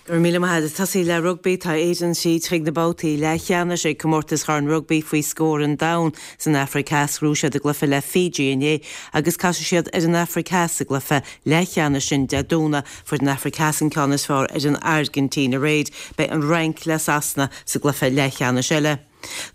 Go raibh míle maith agat. Ag tosaí le rugbaí, tá Éirinn tríd chuig na babhtaí leathcheannais ag Comórtas Chorn Rugbaí faoi scór an Domhain san Afraic Theas. Ghnóthaigh siad a gcluiche le Fiji inné agus casfaidh siad ar an Afraic Theas sa gcluiche leathcheannais sin Dé Domhnaigh. Fuair an Afraic Theas an ceann is fearr ar an Airgintín aréir. Beidh an Fhrainc le Sasana sa gcluiche leathcheannais eile.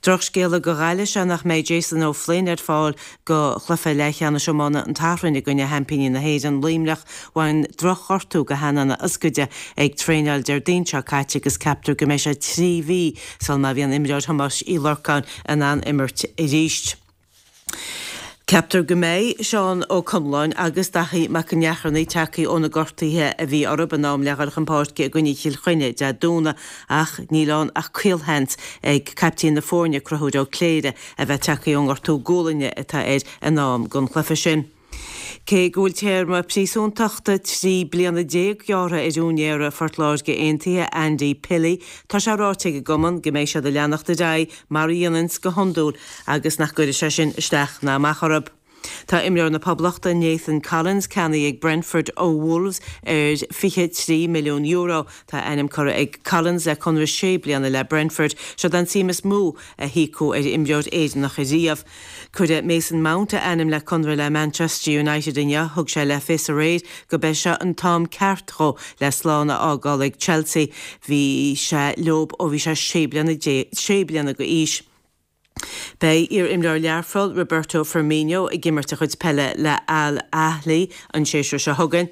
Drochscéala do Ghaillimh is ea nach mbeidh Jason O'Flynn ar fáil do chluiche leathcheannais iomána an tSathairn i gcoinne sheaimpíní na hÉireann, Luimneach. Bhain drochghortú do theannán a ioscaide ag traenáil Déardaoin seo caite agus ceaptar go mbeidh sé 3 mhí sul má bhíonn imreoir Thomáis Uí Lorcáin in ann imirt arís. Ceaptar go mbeidh Seán Ó Conláin agus Daithí Mac an Neacharnaigh tagtha ó na gortuithe a bhí orthu in am le dhul chun páirce i gcoinne Chill Chainnigh Dé Domhnaigh ach níl ann ach caolsheans ag caiptín na foirne, Conchúr Ó Cléire, a bheith tagtha ón ngortú gualainne atá air in am don chluiche sin. Cé go bhfuil téarma príosúntachta 13 bliana gearrtha ar úinéara Phort Láirge Aontaithe, Andy Pilley, tá sé ráite ag an gcumann go mbeidh siad ag leanacht ar aghaidh mar a dhéananns go hiondúil agus nach gcuirfidh sé sin isteach ná amach orthu. Tá imreoir na Poblachta, Nathan Collins, ceannaithe ag Brentford ó Wolves ar €23 milliún. Tá a ainm curtha ag Collins le conradh sé bliana le Brentford. Seod é an tsuim is mó a híocadh ar imreoir Éireannach ariamh. Cuireadh Mason Mount a ainm le conradh le Manchester United inniu. Thug sé le fios aréir go b'é seo an t-am ceart dhó le slán a fhágáil ag Chelsea. Bhí sé leob ó bhí sé sé bliana sé bliana go aois. Beidh iar-imreoir Learphoill, Roberto Firmino, ag imirt a chuid peile le Al Ahly an séasúr seo chugainn.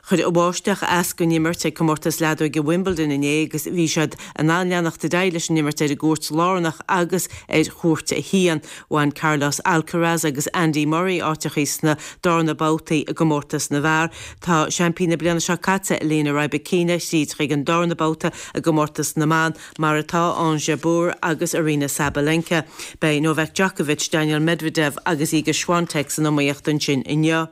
Chuir an bháisteach as don imirt ag comórtas leadóige Wimbledon inné agus bhí siad in ann leanacht ar aghaidh leis an imirt ar an gcúirt lárnach agus ar chúirt a haon. Bhain Carlos Alcaraz agus Andy Murray áiteachaí sna darna babhtaí i gcomórtas na bhfear. Tá seaimpín na bliana seo caite, Elena Rybakina, thríd chuig an darna babhta i gcomórtas na mban, mar atá Ons Jabeur agus Aryna Sabalenka. Beidh Novak Djokovic, Daniil Medvedev agus Iga Swiatek san iomaíocht ansin inniu.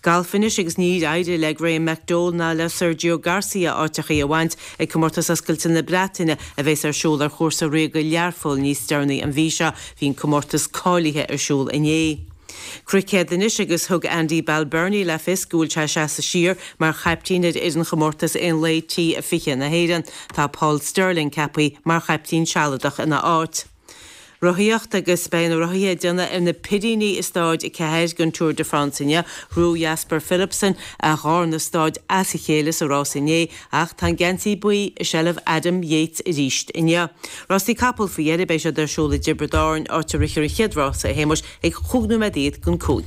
Galf anois agus níor éirigh le Graham McDowell ná le Sergio Garcia áiteachaí a bhaint ag Comórtas Oscailte na Breataine a bheas ar siúl ar chúrsa ríoga Learpholl níos deireanaí an mhí seo. Bhí an comórtas cáilithe ar siúl inné. Cruicéad anois agus thug Andy Balbirnie le fios go bhfuil sé ag seasamh siar mar chaiptín ar fhoireann chomórtas aon lae T20 na hÉireann. Tá Paul Stirling ceaptha mar chaiptín sealadach ina áit. Rothaíocht agus beidh na rothaithe ag déanamh ar na Piríní i Stáid 4 den Tour de France inniu. Ghnóthaigh Jasper Philipsen a dharna stáid as a chéile sa rás inné ach tá an geansaí buí i seilbh Adam Yates arís inniu. Rásaí capall faoi dheireadh, beidh siad ar siúl i dTiobraid Árann, áit a rithfear an chéad rása, a Shéamuis, ag chúig nóiméad don 5.